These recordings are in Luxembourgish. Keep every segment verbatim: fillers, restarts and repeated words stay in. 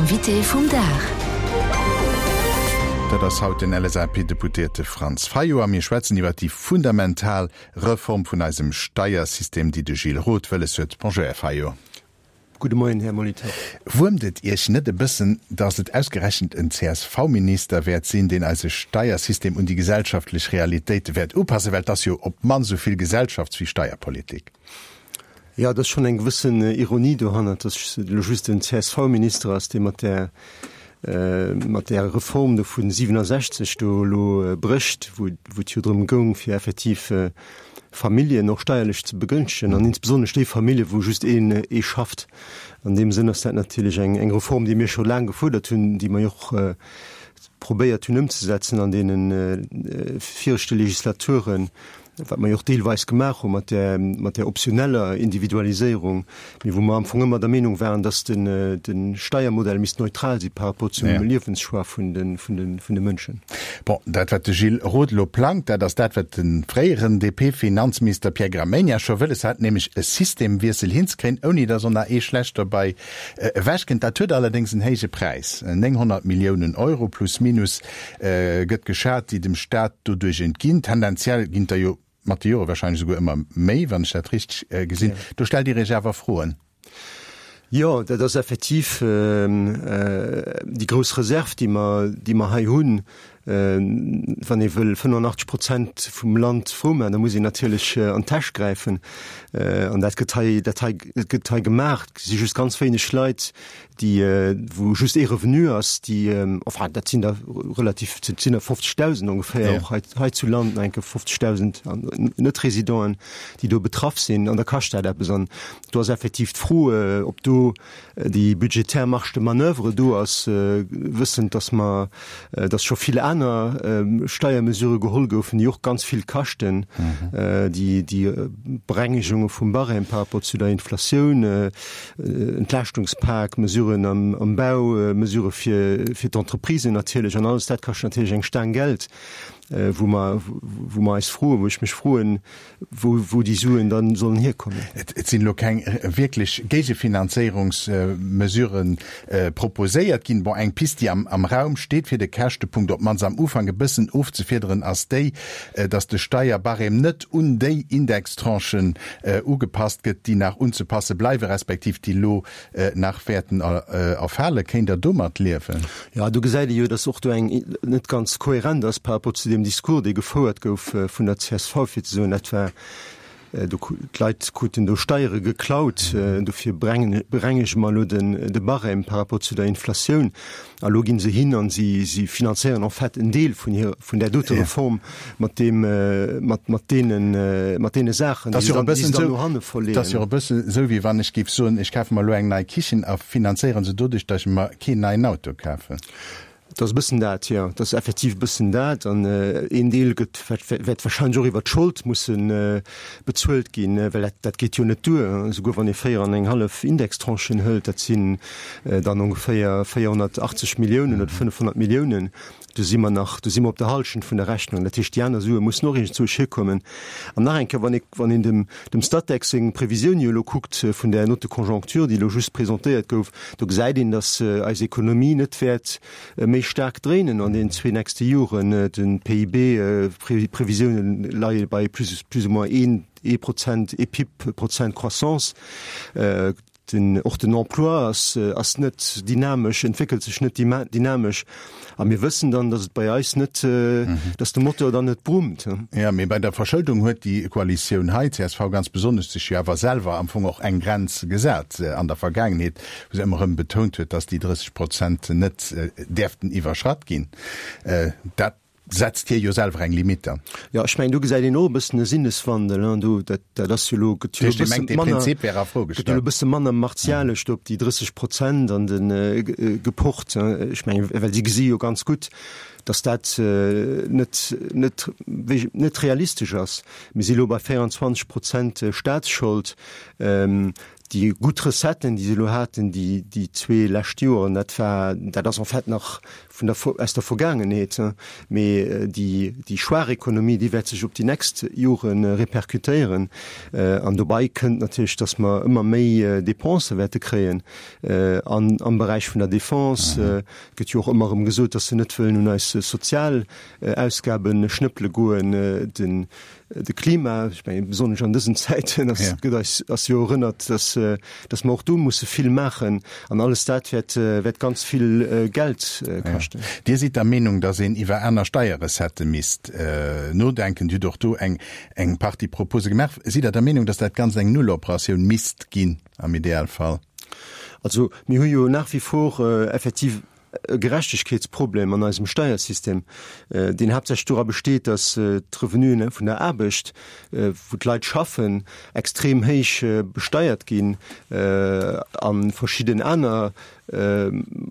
Invité vum Dag. Dat ass haut den L S A P-Deputéierte Franz Fayot a mir schwätzen iwwer déi fundamental Reform vun eisem Steiersystem, déi de Gilles Roth wëlles huet. Bonjour, Här Fayot. Gudde Moien, Här Molitor. Wuermt et Iech net e bëssen, datt et ausgerechent en C S V-Minister wäert sinn, deen eise Steiersystem un déi gesellschaftlech Realitéite wäert upassen, well et ass jo op d'mannst esou vill Gesellschafts wéi Steierpolitik? Ja, dat ass schonn eng gewëssen Ironie dohannert, datt elo just en C S V-Minister ass, dee mat där mat där Reform do vun siwenansechzeg do elo brécht, wou wou et jo drëm goung, fir effektiv Familljen och steierlech ze begënschtegen an insbesonnesch déi Famillje wou just een ee schafft. An deem Sënn ass dat natierlech eng eng Reform, déi mir scho laang gefuerdert hunn, déi mer jo och probéiert hunn ëmzesetzen an deene viregte Legislaturen, wat mer jo och deelweis gemaach hu mat där mat där optioneller Individualiséierung, mee wou mer am Fong ëmmer der Meenung waren, dass den de Steiermodell misst neutral si par rapport zum Liewenschoix vun de vun de vun de Mënschen. Bon, dat wat de Gilles Roth elo plangt, dat ass dat wat de fréieren D P-Finanzminister Pierre Gramegna scho wëlles hat, nämlech e Systemwiessel hinzekréien, ouni datt och nach ee schlecht dobäi ewechkënnt. Dat huet allerdéngs en héije Präis, nénghonnert Milliounen Euro plus minus gëtt geschat, déi dem Staat doduerch entginn. Tendenziell ginn der jo mat de Jore wahrscheinlech esouguer ëmmer méi, wann ech dat richteg gesinn. Do stellt Dir Iech awer Froen. Jo, dat ass effektiv déi grouss Reserv, déi mer, déi mer hei hunn. Wann ee wëll fënnefenachtzeg Prozent vum Land frou maachen, da muss een natierlech an d'Täsch gräifen. An dat gëtt hei, dat hei gëtt hei gemaach. Et si just ganz wéineg Leit, déi, wou just ee Revenu ass, déi, enfin dat sinn der relativ, dat sinn der fofzegdausend ongeféier, och hei, hei zu Land nach enke fofzegdausend Net-Residenten, déi do betraff sinn. An da kascht dat eppes. An do ass effektiv d'Fro, ob do déi budgetär Marge de manoeuvre do ass, wëssend, dass mer, dass scho vill aner Steiermesurë geholl goufen, déi och ganz vill kaschten, déi déi Berengegunge vum Barème par rapport zu der Inflatioun, Entlaaschtungs-Pak, Mesuren am am Bau, Mesurë fir fir d'Entreprisen natierlech, an alles dat kascht natierlech eng Staang Geld, wou mer wou mer eis froen, wou ech mech froen, wou wou déi Suen dann sollen hierkommen. Et sinn elo keng wierklech Géigefinanzéierungsmesuren proposéiert ginn. Bon, eng Pist, déi am am Raum steet, fir de Käschtepunkt op d'mannst am Ufank e bëssen ofzefiederen, ass déi, datt de Steierbarème net un déi Indextranchen ugepasst gëtt, déi nach unzepasse bleiwen, respektiv déi elo nach wäerten erfalen. Kéint Der domat liewen? Jo, do gesäit ee jo, datt och do eng net ganz kohärent ass par rapport zu deem Discours, dee gefouert gouf vun der C S V, fir ze soen, dat war do, d'Leit kruten do Steiere geklaut, dofir brengen, berengege mer elo den de Barème par rapport zu der Inflatioun. A lo ginn se hin an si si finanzéieren en fait en Deel vun hir vun där dote Reform mat deem mat mat deenen mat deene Saachen, déi se dann déi se dann no hanne verleeën. Dat ass jo e bëssen esou, wéi wann ech géif soen, ech kafe mer elo eng nei Kichen a finanzéiere se doduerch, datt ech mer keen neien Auto kafen. Dat ass e bëssen dat, jo. Dat ass effektiv e bëssen dat. An een Deel gëtt, wäert wahrscheinlech och iwwert d'Schold musse bezuelt ginn, well dat, dat geet jo net duer. Esouguer wann ee véier an eng hallef Indextranchen hëlt, dat sinn dann ongeféier véierhonnertachtzeg Milliounen oder fënnefhonnert Milliounen, do si mer nach, do si mer op der Hallschent vun der Rechnung. Dat heescht, déi aner Sue mussen och iergendzwousch hierkommen. An nach eng Kéier, wann ee, wann een dem, dem Statec seng Previsioun jo elo kuckt vun där Note de conjoncture, déi elo just presentéiert gouf, do gesäit een, datt eis Ekonomie net wäert méi staark dréinen an den zwee nächste Joren. De P I B-Previsiounen leie bei plus, plus ou moins een, ee Prozent, ee P I B Prozent Croissance. Den, och den Emploi ass, ass net dynamesch, entwéckelt sech net dynamesch. A mir wëssen dann, datt et bei eis net, datt de Motor dann net brummt. Jo, mee bei der Verschëldung huet déi Koalitioun hei, C S V ganz besonnesch, sech jo awer selwer am Fong och eng Grenz gesat an der Vergaangenheet, wou se ëmmer erëm betount huet, datt déi drësseg Prozent net däerften iwwerschratt ginn. Dat setzt hir jo selwer eng Limite an. Jo, ech mengen, do gesäit een och e bëssen e Sinneswandel, hein. Do, dat, dat ass jo elo, gëtt jo elo e bësse manner, gëtt jo elo e bësse manner martialesch do op déi drësseg Prozent an de gepocht, hein. Ech mengen, well si gesi jo ganz gutt, dass dat net net net realistesch ass. Mir si lo bei véierundzwanzeg Prozent Staatsschold. Déi gutt Recetten, déi se elo haten déi déi zwee lescht Joren, dat war, dat ass en fait nach vun der aus der Vergaangenheet, mee déi déi schwaach Ekonomie, déi wäert sech op déi nächst Jore repercutéieren. An dobäi kënnt natierlech, datt mer ëmmer méi Dépensë wäerte kréien an am Beräich vun der Defense. Et gëtt jo och ëmmer erëm gesot, datt se net wëllen un eis sozial Ausgabe schnëppele goen. Den de Klima, ech mengen besonnesch an dësen Zäiten ass, gëtt eis ass jo erënnert, dass, dass mer och do musse vill maachen an alles dat wäert, wäert ganz vill Geld kaschten. Dir sidd der Meenung, dass een iwwer aner Steierrecettë misst nodenken. Dir hutt och do eng, eng Partie Propose gemaach. Sidd Der der Meenung, dass dat Ganzt eng Nulloperatioun misst ginn am Idealfall? Also mir hu jo nach wie vor effektiv e Gerechtegkeetsproblem an eisem Steiersystem, deen haaptsächlech dora besteet, datt d'Revenuen vun der Aarbecht, wou d'Leit schaffen, extrem héich besteiert ginn a verschidden aner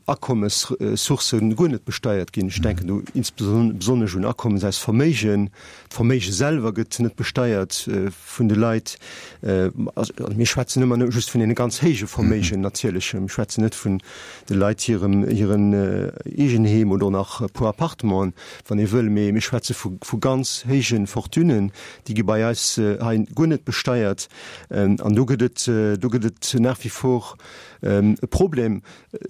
Akommessourcë guer net besteiert ginn. Ech denken do insbesonnesch un Akommes aus Verméigen. D'Verméige selwer gëtt net besteiert vun de Leit. Mir schwätzen ëmmer just vun deene ganz héije Verméigen natierlech. Mir schwätzen net vun de Leit hirem hiren Eegenheem oder nach e puer Appartementen, wann ee wëll, mee mir schwätze vu vu ganz héije Fortunen, déi gi bei eis hei guer net besteiert. An do gëtt et do gëtt et nach wie vor e Problem.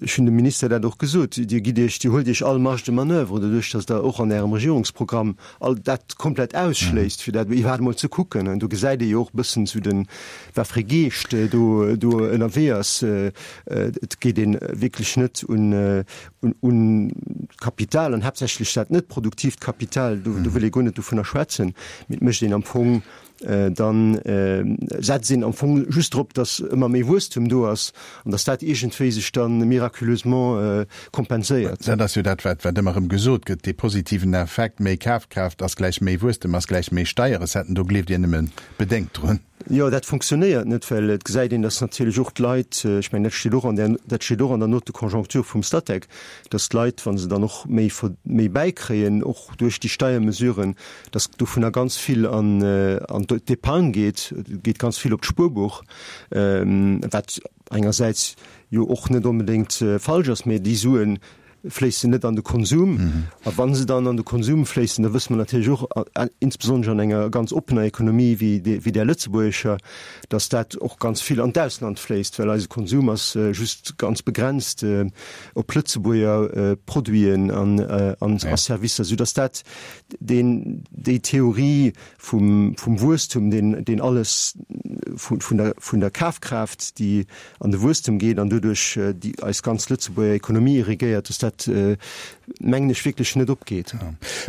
Ech hunn dem Minister dat och gesot, Dir gitt Iech, Dir huelt Iech all Marge de manoeuvre, doduerch datt Der och an Ärem Regierungsprogramm all dat komplett ausschléisst, fir dat iwwerhaapt emol ze kucken. An do gesäit ee jo och e bëssen esou den, wat fir ee Geescht do do ënnerwee ass. Et geet ee wierklech net un un d'Kapital an haaptsächlech dat net produktiivt Kapital, do do wëll ee guer net dovunner schwätzen, mee et mécht een am Fong, dann setzt een am Fong just drop, datt ëmmer méi Wuesstum do ass an datt dat iergendwéi sech da miraculeusement kompenséiert. Dat ass jo dat, wat wat ëmmer erëm gesot gëtt, dee positiven Effekt, méi Kafkraaft ass gläich méi Wuesstem ass gläich méi Steierrecetten. Do gleeft Dir nëmme bedéngt drun. Jo, dat funktionéiert net, well et gesäit een, datt natierlech och d'Leit, ech mengen, dat steet och an där, dat steet och an der Note de conjoncture vum Statec, datt d'Leit, wa se dann och méi, méi bäikréien, och duerch déi Steiermesuren, datt dovunner ganz vill an, an d'Épargne geet, geet ganz vill op d'Spuerbuch, wat engersäits jo och net onbedéngt falsch ass, mä déi Suen fléissen net an de Konsum. A wa se dann an de Konsum fléissen, da wësse mer natierlech och, insbesonnesch an enger ganz oppener Ekonomie wéi wéi där lëtzebuergescher, datt dat och ganz vill an d'Ausland fléisst, well eise Konsum ass just ganz begrenzt op Lëtzebuerger Produiten an a Servicer, soudatt dat deen, déi Theorie vum, vum Wuesstum, deen, deen alles vun, vun der, vun der Kafkraaft, déi an de Wuesstum geet an doduerch déi eis ganz Lëtzebuerger Ekonomie irrigéiert, dass dat, mengen ech, wierklech net opgeet.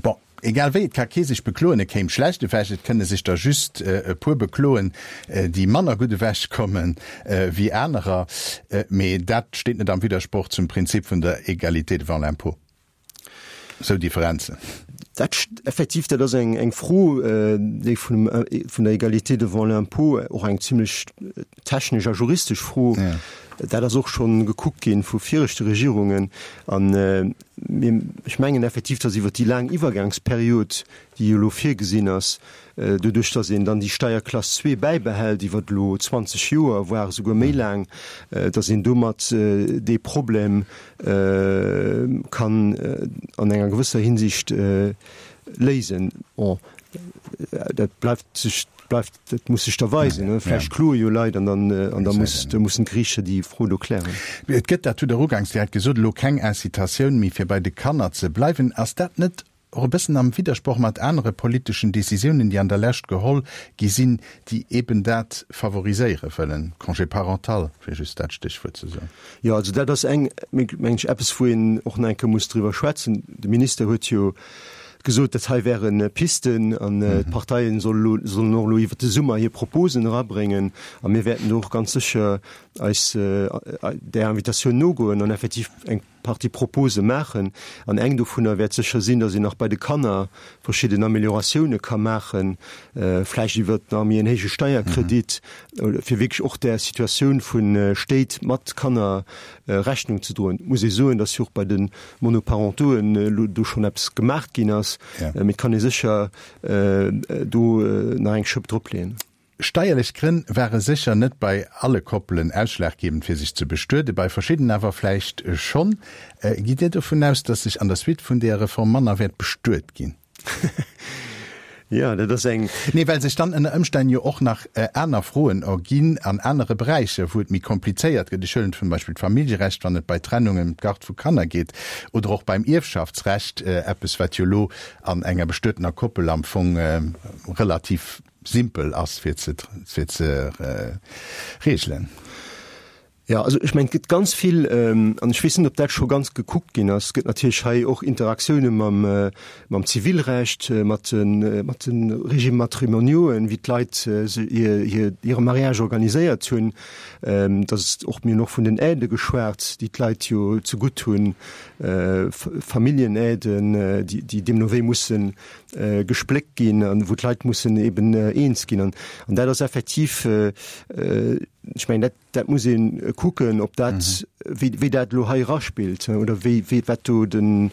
Bon, egal wéi, et ka kee sech bekloen, e kéim schlecht ewech. Et kënne sech der just e puer bekloen, déi manner gutt ewechkomme wéi anerer. Mee dat steet net am Widdersproch zum Prinzip vun der Égalité devant l'impôt. Esou Differenzen. Dat effektiv, dat ass eng eng Fro, déi vun vun der Égalité devant l'impôt, och eng zimlech technesch a juristesch Fro. Dat ass och schonn gekuckt ginn vu viregte Regierungen. An mir, ech mengen effektiv, datt iwwert déi laang Iwwergangsperiod, déi jo elo virgesinn ass, doduerch datt een dann déi Steierklass zwee bäibehält iwwert elo zwanzeg Joer, voire esouguer méi laang, datt een domat dee Problem kann an enger gewësser Hinsicht léisen. Bon, dat bleift sech, bleift, dat muss sech da weisen. Vläicht kloe jo Leit an dann, an da muss, da mussen d'Geriichter déi Fro do klären. Et gëtt, dat hutt Der uganks direkt gesot, elo keng Incitatioun méi fir bei de Kanner ze bleiwen. Ass dat net och e bëssen am Widdersproch mat anere politeschen Décisiounen, déi an der Lescht geholl gi sinn, déi eben dat favoriséiere wëllen, Congé parental, fir just dat Stéchwuert ze soen? Jo, also dat ass eng, mengen ech, eppes, wou een och nach eng Kéier muss driwwer schwätzen. De Minister huet jo gesot, dat hei wäre Pisten an d'Parteien sollen och elo iwwert de Summer hir Proposen erabréngen. A mir wäerten do och ganz sécher eis där Invitatioun nogoen an effektiv eng Partie Propose maachen. An eng dovunner wäert sécher sinn, datt een nach bei de Kanner verschidden Amélioratioune ka maachen, vläicht iwwert nach méi en héije Steierkredit, fir wierklech och där Situatioun vu Stéit mat Kanner Rechnung ze droen. Et muss ee soen, datt jo och bei de Monoparentoen elo do schonn eppes gemaach ginn ass, mee et kann ee sécher do nach eng Schëpp dropleeën. Steierlech Grënn ware sécher net bei alle Koppelen ausschlaggebend fir sech ze bestueden, bei verschidden awer vläicht schonn. Gitt Dir dovun aus, datt sech an der Suite vun deeër Reform manner wäert bestuet ginn? Jo, dat ass eng. Nee, well sech dann ënner Ëmstänn jo och nach aner Froen erginn an anere Beräicher, wou et méi komplizéiert gëtt. Ech huelen zum Beispill d'Familljerecht, wann et bei Trennungen ëm d'Garde vu Kanner geet, oder och beim Ierfschaftsrecht, eppes wat jo elo an enger bestuetener Koppel am Fong relativ simpel ass fir ze fir ze regelen. Jo, also ech mengen, et gëtt ganz vill, an ech weess net, ob dat scho ganz gekuckt ginn ass, et gëtt natierlech hei och Interaktioune mam mam Zivilrecht, mat de mat de Régimes matrimoniauxen, wéi d'Leit hir hir hire Mariage organiséiert hunn. Et ass och, mir hunn och vun den Aidë geschwat, déi d'Leit jo zegutt hunn, Familljenaiden, déi déi deemno wéi mussen gespléckt ginn an wou d'Leit mussen eben eens ginn. An dat ass effektiv, ech mengen, dat, dat muss ee kucken, ob dat, wéi, wéi dat elo hei eraspillt oder wéi, wéi, wat do den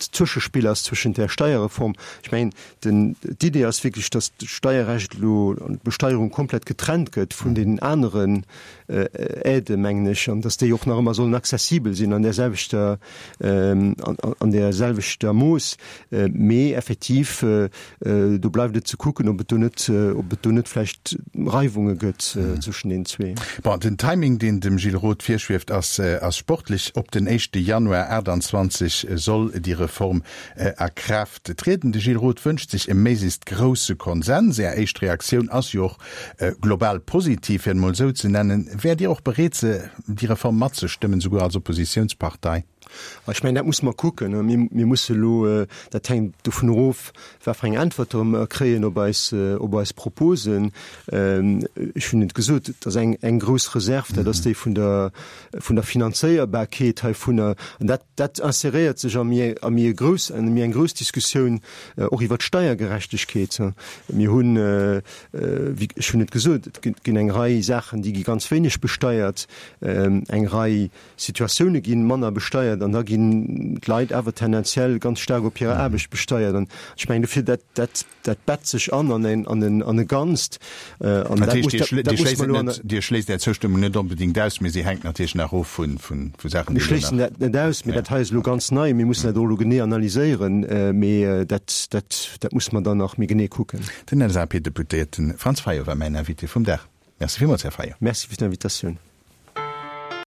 Zwëschespill ass zwëschent där Steierreform. Ech mengen, den, d'Idee ass wierklech, datt d'Steierrecht elo an d'Besteierung komplett getrennt gëtt vun deenen aneren Aiden, mengen ech, an datt déi och nach ëmmer sollen accessibel sinn an där selwechter, an där selwechter Mooss. Mee effektiv, do bleift et ze kucken, ob et do net, ob et do net vläicht Reiwunge gëtt zwëschen deenen zwee. Bon, den Timing, deen dem Gilles Roth virschwieft, ass, ass sportlech. Op den éischte Januar achtanzwanzeg soll déi Reform a Kraaft trieden. De Gilles Roth wënscht sech e méiglechst grousse Konsens. Är éischt Reaktioun ass jo och global positiv, fir et emol esou ze nennen. Wäert Dir och bereet, se, déi Reform matzestëmmen, souguer als Oppositiounspartei? Ech mengen, dat musse mer kucken. Mir, mir musse elo, dat hänkt dovun erof, wat fir eng Äntwerte mer kréien op eis, op eis Proposen. Ech hunn et gesot, et ass eng, eng grouss Reserv, dat ass déi vun der, vun der Finanzéierbarkeet heivunner. An dat, dat inséréiert sech a méi, a méi e grouss, an méi eng grouss Diskussioun och iwwert d'Steiergerechtegkeet. Mir hunn, wéi, ech hunn et gesot, et ginn eng Rei Saachen, déi gi ganz wéineg besteiert, eng Rei Situatioune gi manner besteiert an da ginn d'Leit awer tendenziell ganz staark op hirer Aarbecht besteiert. An ech mengen dofir, dat, dat, dat bett sech an an en, an en, an e Ganzt. An dat muss, dat, dat muss mer elo an. Dir schléisst Är Zoustëmmung net onbedéngt aus, mee si hänkt natierlech nach of vu, vu Saachen, déi elo nach. Mir schléissen dat net aus, mee dat hei ass elo ganz nei. Mir mussen dat och elo genee analyséieren, mee dat, dat, dat musse mer dann nach méi genee kucken. Den LSAP-Deputéierte Franz Fayot war mäin Invité vum Dag. Merci villmools, Här Fayot. Merci fir d'Invitatioun.